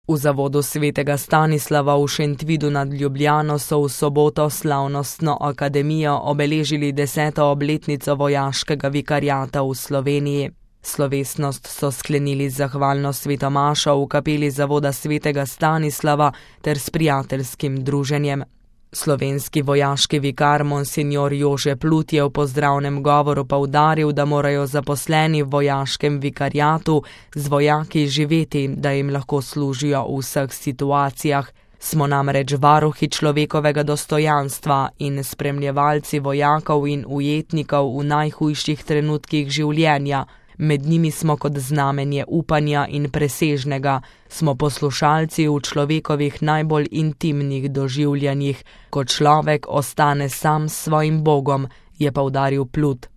V zavodu svetega Stanislava v Šentvidu nad Ljubljano so v soboto slavnostno akademijo obeležili 10. obletnico vojaškega vikariata v Sloveniji. Slovesnost so sklenili z zahvalno svetomašo v kapeli zavoda svetega Stanislava ter s prijateljskim druženjem. Slovenski vojaški vikar monsignor Jože Plut je v pozdravnem govoru poudaril, da morajo zaposleni v vojaškem vikariatu z vojaki živeti, da jim lahko služijo v vseh situacijah. Smo namreč varuhi človekovega dostojanstva in spremljevalci vojakov in ujetnikov v najhujših trenutkih življenja. Med njimi smo kot znamenje upanja in presežnega, smo poslušalci v človekovih najbolj intimnih doživljanjih, ko človek ostane sam s svojim Bogom, je poudaril Plut.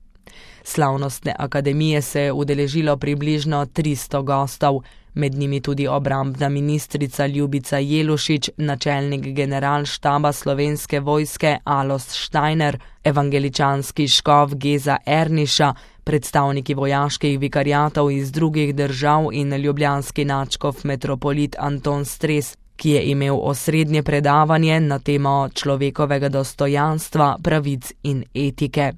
Slavnostne akademije se je udeležilo približno 300 gostov, med njimi tudi obrambna ministrica Ljubica Jelušič, načelnik generalštaba Slovenske vojske Alojz Štajner, evangeličanski škof Geza Erniša, predstavniki vojaških vikariatov iz drugih držav in ljubljanski nadškof metropolit Anton Stres, ki je imel osrednje predavanje na temo človekovega dostojanstva, pravic in etike.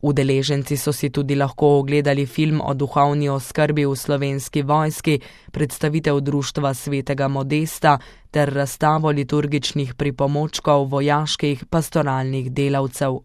Udeleženci so si tudi lahko ogledali film o duhovni oskrbi v Slovenski vojski, predstavitev društva svetega Modesta ter razstavo liturgičnih pripomočkov vojaških pastoralnih delavcev.